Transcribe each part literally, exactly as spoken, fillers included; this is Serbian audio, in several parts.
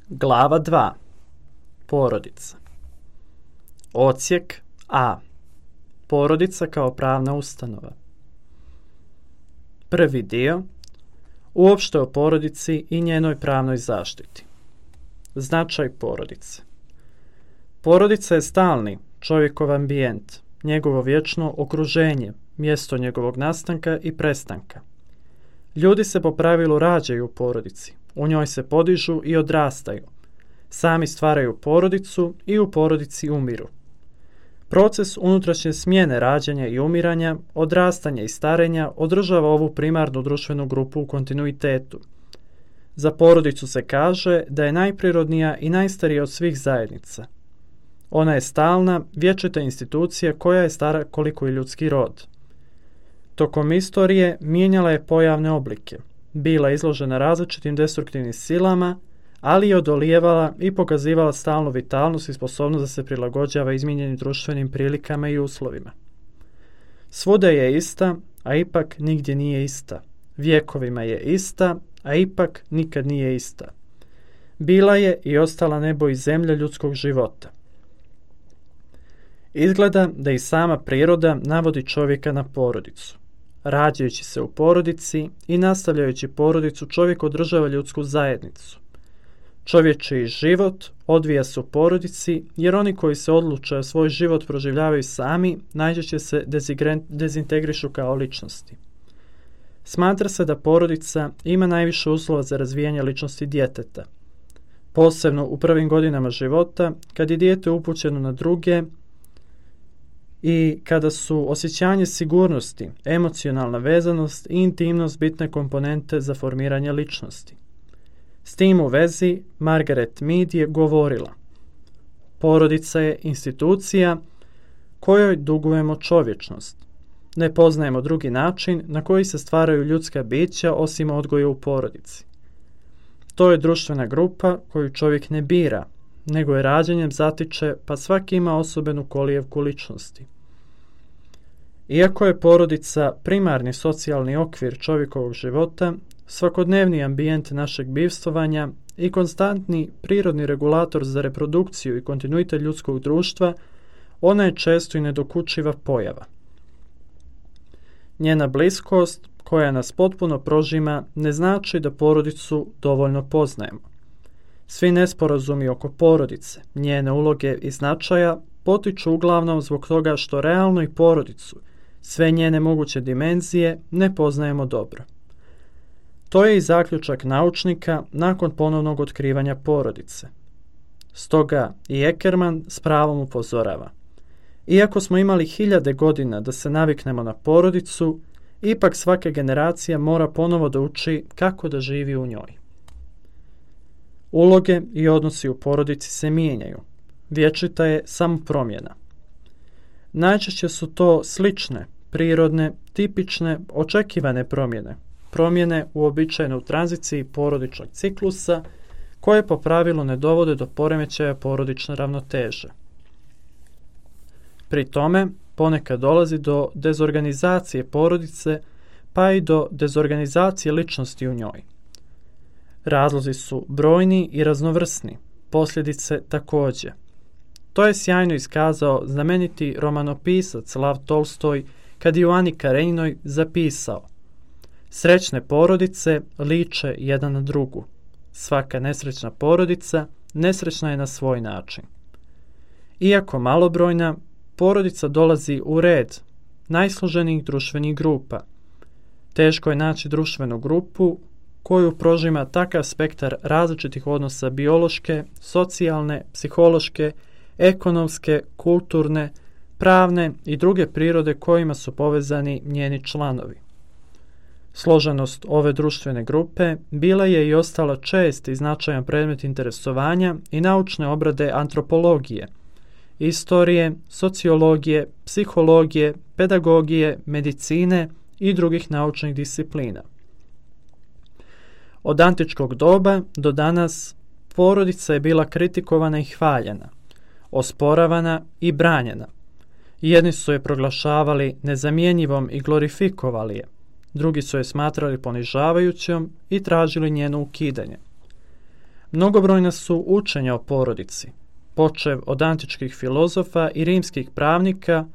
Glava dva. Porodica. Odsjek A. Porodica kao pravna ustanova. Prvi dio. Uopšte o porodici i njenoj pravnoj zaštiti. Značaj porodice. Porodica je stalni čovjekov ambijent, njegovo vječno okruženje, mjesto njegovog nastanka i prestanka. Ljudi se po pravilu rađaju u porodici, u njoj se podižu i odrastaju. Sami stvaraju porodicu i u porodici umiru. Proces unutrašnje smjene rađanja i umiranja, odrastanja i starenja održava ovu primarnu društvenu grupu u kontinuitetu. Za porodicu se kaže da je najprirodnija i najstarija od svih zajednica. Ona je stalna, vječita institucija koja je stara koliko i ljudski rod. Tokom istorije mijenjala je pojavne oblike, bila izložena različitim destruktivnim silama, ali je odolijevala i pokazivala stalnu vitalnost i sposobnost da se prilagođava izmijenjenim društvenim prilikama i uslovima. Svuda je ista, a ipak nigdje nije ista. Vjekovima je ista, a ipak nikad nije ista. Bila je i ostala nebo i zemlja ljudskog života. Izgleda da i sama priroda navodi čovjeka na porodicu. Rađajući se u porodici i nastavljajući porodicu, čovjek održava ljudsku zajednicu. Čovječiji život odvija se u porodici, jer oni koji se odluče svoj život proživljavaju sami, najčešće se dezintegrišu kao ličnosti. Smatra se da porodica ima najviše uslova za razvijanje ličnosti djeteta. Posebno u prvim godinama života, kad je dijete upućeno na druge i kada su osjećanje sigurnosti, emocionalna vezanost i intimnost bitne komponente za formiranje ličnosti. S tim u vezi Margaret Mead je govorila: porodica je institucija kojoj dugujemo čovječnost. Ne poznajemo drugi način na koji se stvaraju ljudska bića osim odgoja u porodici. To je društvena grupa koju čovjek ne bira, nego je rađanjem zatiče, pa svaki ima osobenu kolijevku ličnosti. Iako je porodica primarni socijalni okvir čovjekovog života, svakodnevni ambijent našeg bivstvovanja i konstantni prirodni regulator za reprodukciju i kontinuitet ljudskog društva, ona je često i nedokučiva pojava. Njena bliskost, koja nas potpuno prožima, ne znači da porodicu dovoljno poznajemo. Svi nesporazumi oko porodice, njene uloge i značaja potiču uglavnom zbog toga što realno i porodicu, sve njene moguće dimenzije, ne poznajemo dobro. To je i zaključak naučnika nakon ponovnog otkrivanja porodice. Stoga i Eckermann s pravom upozorava: iako smo imali hiljade godina da se naviknemo na porodicu, ipak svaka generacija mora ponovo da uči kako da živi u njoj. Uloge i odnosi u porodici se mijenjaju. Vječita je samo promjena. Najčešće su to slične, prirodne, tipične, očekivane promjene. Promjene uobičajene u tranziciji porodičnog ciklusa, koje po pravilu ne dovode do poremećaja porodične ravnoteže. Pri tome, ponekad dolazi do dezorganizacije porodice, pa i do dezorganizacije ličnosti u njoj. Razlozi su brojni i raznovrsni, posljedice također. To je sjajno iskazao znameniti romanopisac Lav Tolstoj kad je u Ani Karenjinoj zapisao: srećne porodice liče jedan na drugu. Svaka nesrećna porodica nesrećna je na svoj način. Iako malobrojna, porodica dolazi u red najsloženijih društvenih grupa. Teško je naći društvenu grupu koju prožima takav spektar različitih odnosa biološke, socijalne, psihološke, ekonomske, kulturne, pravne i druge prirode kojima su povezani njeni članovi. Složenost ove društvene grupe bila je i ostala čest i značajan predmet interesovanja i naučne obrade antropologije, istorije, sociologije, psihologije, pedagogije, medicine i drugih naučnih disciplina. Od antičkog doba do danas porodica je bila kritikovana i hvaljena, osporavana i branjena. Jedni su je proglašavali nezamjenjivom i glorifikovali je, drugi su je smatrali ponižavajućom i tražili njeno ukidanje. Mnogobrojna su učenja o porodici, počev od antičkih filozofa i rimskih pravnika,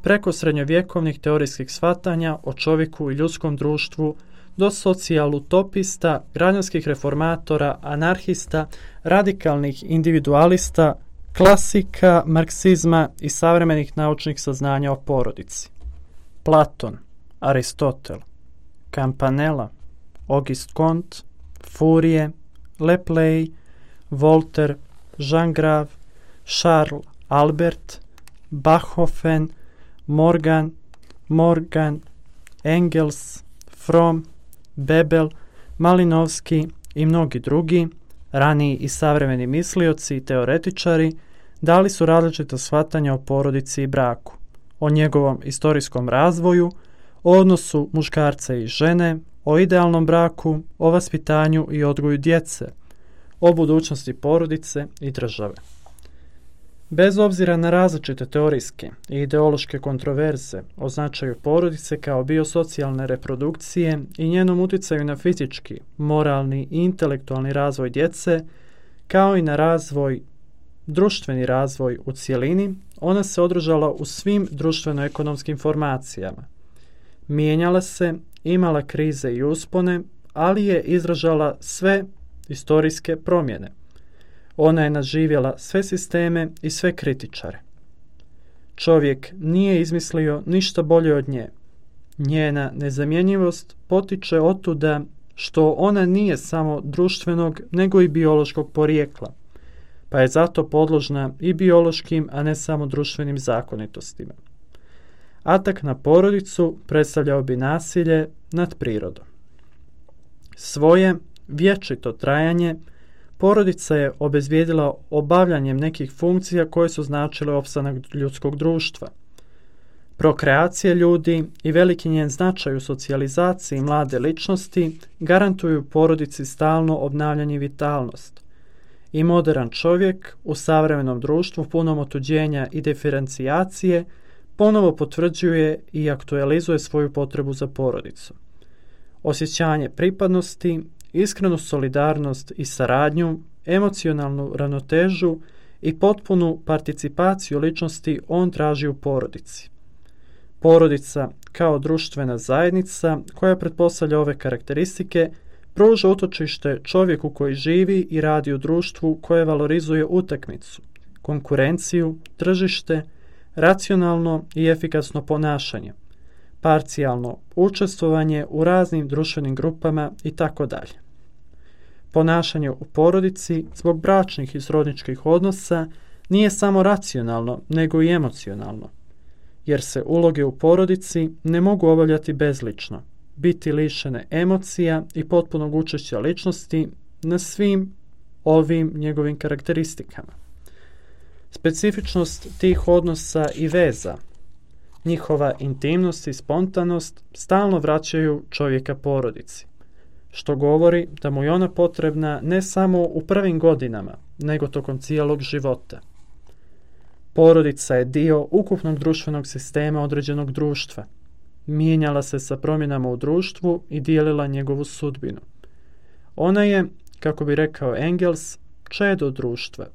preko srednjovjekovnih teorijskih shvatanja o čovjeku i ljudskom društvu, do socijalutopista, građanskih reformatora, anarhista, radikalnih individualista, klasika, marksizma i savremenih naučnih saznanja o porodici. Platon, Aristotel, Campanella, Auguste Comte, Fourier, Lepley, Voltaire, Jean Grave, Charles Albert, Bachofen, Morgan, Morgan, Engels, Fromm, Bebel, Malinovski i mnogi drugi, raniji i savremeni mislioci i teoretičari, dali su različita shvatanja o porodici i braku, o njegovom istorijskom razvoju, o odnosu muškarca i žene, o idealnom braku, o vaspitanju i odgoju djece, o budućnosti porodice i države. Bez obzira na različite teorijske i ideološke kontroverze o značaju porodice kao biosocijalne reprodukcije i njenom utjecaju na fizički, moralni i intelektualni razvoj djece, kao i na razvoj, društveni razvoj u cjelini, ona se održala u svim društveno-ekonomskim formacijama. Mijenjala se, imala krize i uspone, ali je izražala sve istorijske promjene. Ona je nadživjela sve sisteme i sve kritičare. Čovjek nije izmislio ništa bolje od nje. Njena nezamjenjivost potiče otuda što ona nije samo društvenog, nego i biološkog porijekla, pa je zato podložna i biološkim, a ne samo društvenim zakonitostima. Atak na porodicu predstavljao bi nasilje nad prirodom. Svoje vječito trajanje porodica je obezvijedila obavljanjem nekih funkcija koje su značile opstanak ljudskog društva. Prokreacija ljudi i veliki njen značaj u socijalizaciji mlade ličnosti garantuju porodici stalno obnavljanje i vitalnost. I modern čovjek u savremenom društvu punom otuđenja i diferencijacije ponovo potvrđuje i aktualizuje svoju potrebu za porodicu. Osjećanje pripadnosti, iskrenu solidarnost i saradnju, emocionalnu ravnotežu i potpunu participaciju ličnosti on traži u porodici. Porodica kao društvena zajednica koja pretpostavlja ove karakteristike pruža utočište čovjeku koji živi i radi u društvu koje valorizuje utakmicu, konkurenciju, tržište, racionalno i efikasno ponašanje, parcijalno učestvovanje u raznim društvenim grupama i tako dalje. Ponašanje u porodici zbog bračnih i srodničkih odnosa nije samo racionalno, nego i emocionalno, jer se uloge u porodici ne mogu obavljati bezlično, biti lišene emocija i potpunog učešća ličnosti na svim ovim njegovim karakteristikama. Specifičnost tih odnosa i veza, njihova intimnost i spontanost stalno vraćaju čovjeka porodici, što govori da mu je ona potrebna ne samo u prvim godinama, nego tokom cijelog života. Porodica je dio ukupnog društvenog sistema određenog društva. Mijenjala se sa promjenama u društvu i dijelila njegovu sudbinu. Ona je, kako bi rekao Engels, čedo društva.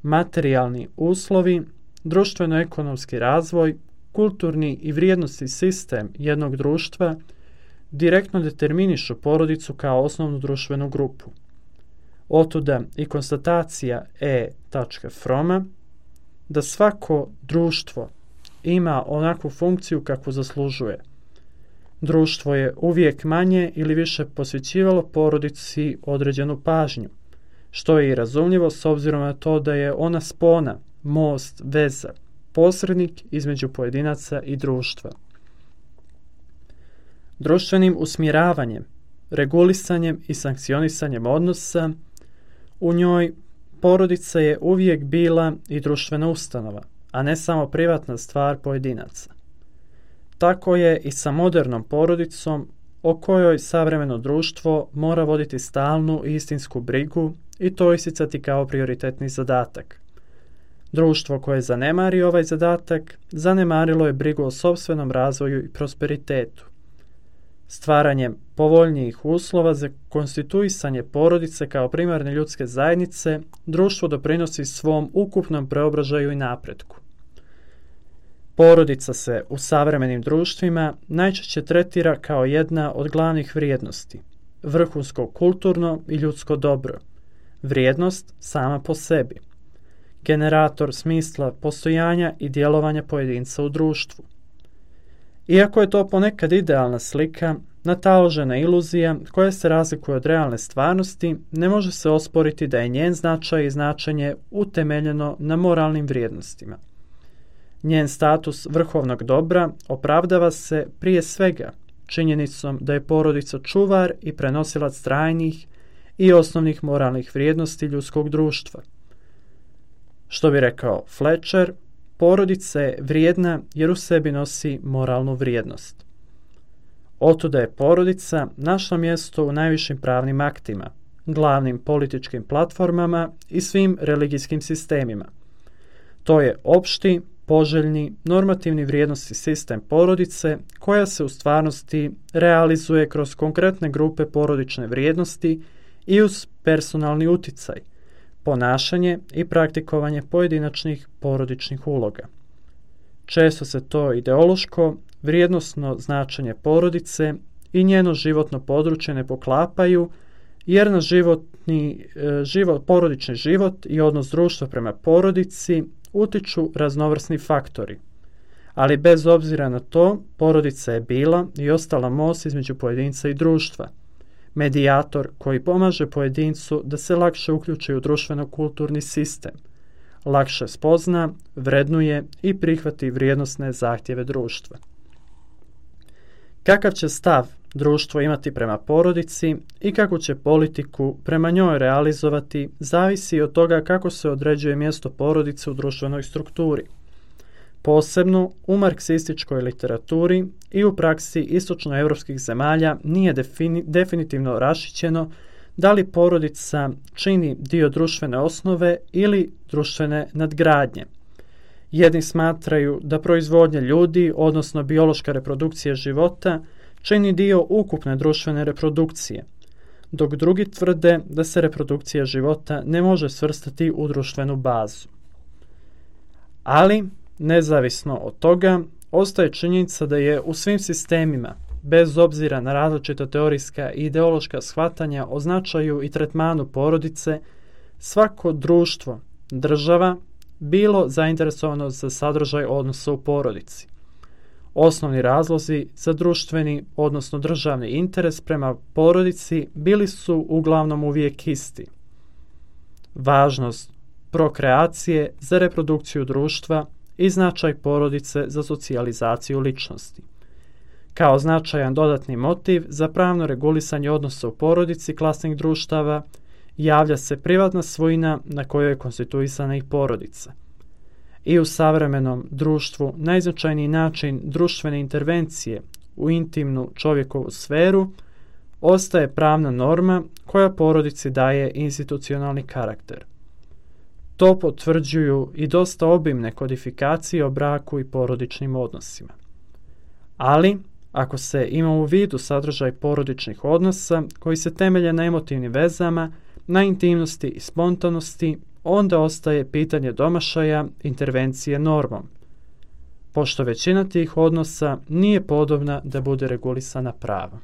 Materijalni uslovi, društveno-ekonomski razvoj, kulturni i vrijednosni sistem jednog društva direktno determinišu porodicu kao osnovnu društvenu grupu. Otuda i konstatacija E. Froma da svako društvo ima onakvu funkciju kakvu zaslužuje. Društvo je uvijek manje ili više posvećivalo porodici određenu pažnju, što je i razumljivo s obzirom na to da je ona spona, most, veza, posrednik između pojedinaca i društva. Društvenim usmjeravanjem, regulisanjem i sankcionisanjem odnosa u njoj porodica je uvijek bila i društvena ustanova, a ne samo privatna stvar pojedinaca. Tako je i sa modernom porodicom o kojoj savremeno društvo mora voditi stalnu i istinsku brigu i to isticati kao prioritetni zadatak. Društvo koje zanemari ovaj zadatak, zanemarilo je brigu o sopstvenom razvoju i prosperitetu. Stvaranjem povoljnijih uslova za konstituisanje porodice kao primarne ljudske zajednice, društvo doprinosi svom ukupnom preobražaju i napretku. Porodica se u savremenim društvima najčešće tretira kao jedna od glavnih vrijednosti, vrhunsko kulturno i ljudsko dobro, vrijednost sama po sebi, generator smisla postojanja i djelovanja pojedinca u društvu. Iako je to ponekad idealna slika, nataložena iluzija koja se razlikuje od realne stvarnosti, ne može se osporiti da je njen značaj i značenje utemeljeno na moralnim vrijednostima. Njen status vrhovnog dobra opravdava se prije svega činjenicom da je porodica čuvar i prenosilac trajnih i osnovnih moralnih vrijednosti ljudskog društva. Što bi rekao Fletcher, porodica je vrijedna jer u sebi nosi moralnu vrijednost. Otuda je porodica našla mjesto u najvišim pravnim aktima, glavnim političkim platformama i svim religijskim sistemima. To je opšti, poželjni, normativni vrijednosti sistem porodice koja se u stvarnosti realizuje kroz konkretne grupe porodične vrijednosti i uz personalni uticaj, ponašanje i praktikovanje pojedinačnih porodičnih uloga. Često se to ideološko, vrijednosno značenje porodice i njeno životno područje ne poklapaju, jer na životni, život, porodični život i odnos društva prema porodici utiču raznovrsni faktori. Ali bez obzira na to, porodica je bila i ostala most između pojedinca i društva, medijator koji pomaže pojedincu da se lakše uključi u društveno-kulturni sistem, lakše spozna, vrednuje i prihvati vrijednosne zahtjeve društva. Kakav će stav društvo imati prema porodici i kakvu će politiku prema njoj realizovati zavisi od toga kako se određuje mjesto porodice u društvenoj strukturi. Posebno u marksističkoj literaturi i u praksi istočnoevropskih zemalja nije defini, definitivno raščićeno da li porodica čini dio društvene osnove ili društvene nadgradnje. Jedni smatraju da proizvodnja ljudi, odnosno biološka reprodukcija života, čini dio ukupne društvene reprodukcije, dok drugi tvrde da se reprodukcija života ne može svrstati u društvenu bazu. Ali, nezavisno od toga, ostaje činjenica da je u svim sistemima, bez obzira na različita teorijska i ideološka shvatanja o značaju i tretmanu porodice, svako društvo, država, bilo zainteresovano za sadržaj odnosa u porodici. Osnovni razlozi za društveni, odnosno državni interes prema porodici bili su uglavnom uvijek isti. Važnost prokreacije za reprodukciju društva i značaj porodice za socijalizaciju ličnosti. Kao značajan dodatni motiv za pravno regulisanje odnosa u porodici klasnih društava javlja se privatna svojina na kojoj je konstituisana i porodica. I u savremenom društvu najznačajniji način društvene intervencije u intimnu čovjekovu sferu ostaje pravna norma koja porodici daje institucionalni karakter. To potvrđuju i dosta obimne kodifikacije o braku i porodičnim odnosima. Ali, ako se ima u vidu sadržaj porodičnih odnosa koji se temelje na emotivnim vezama, na intimnosti i spontanosti, onda ostaje pitanje domašaja intervencije normom, pošto većina tih odnosa nije podobna da bude regulisana pravom.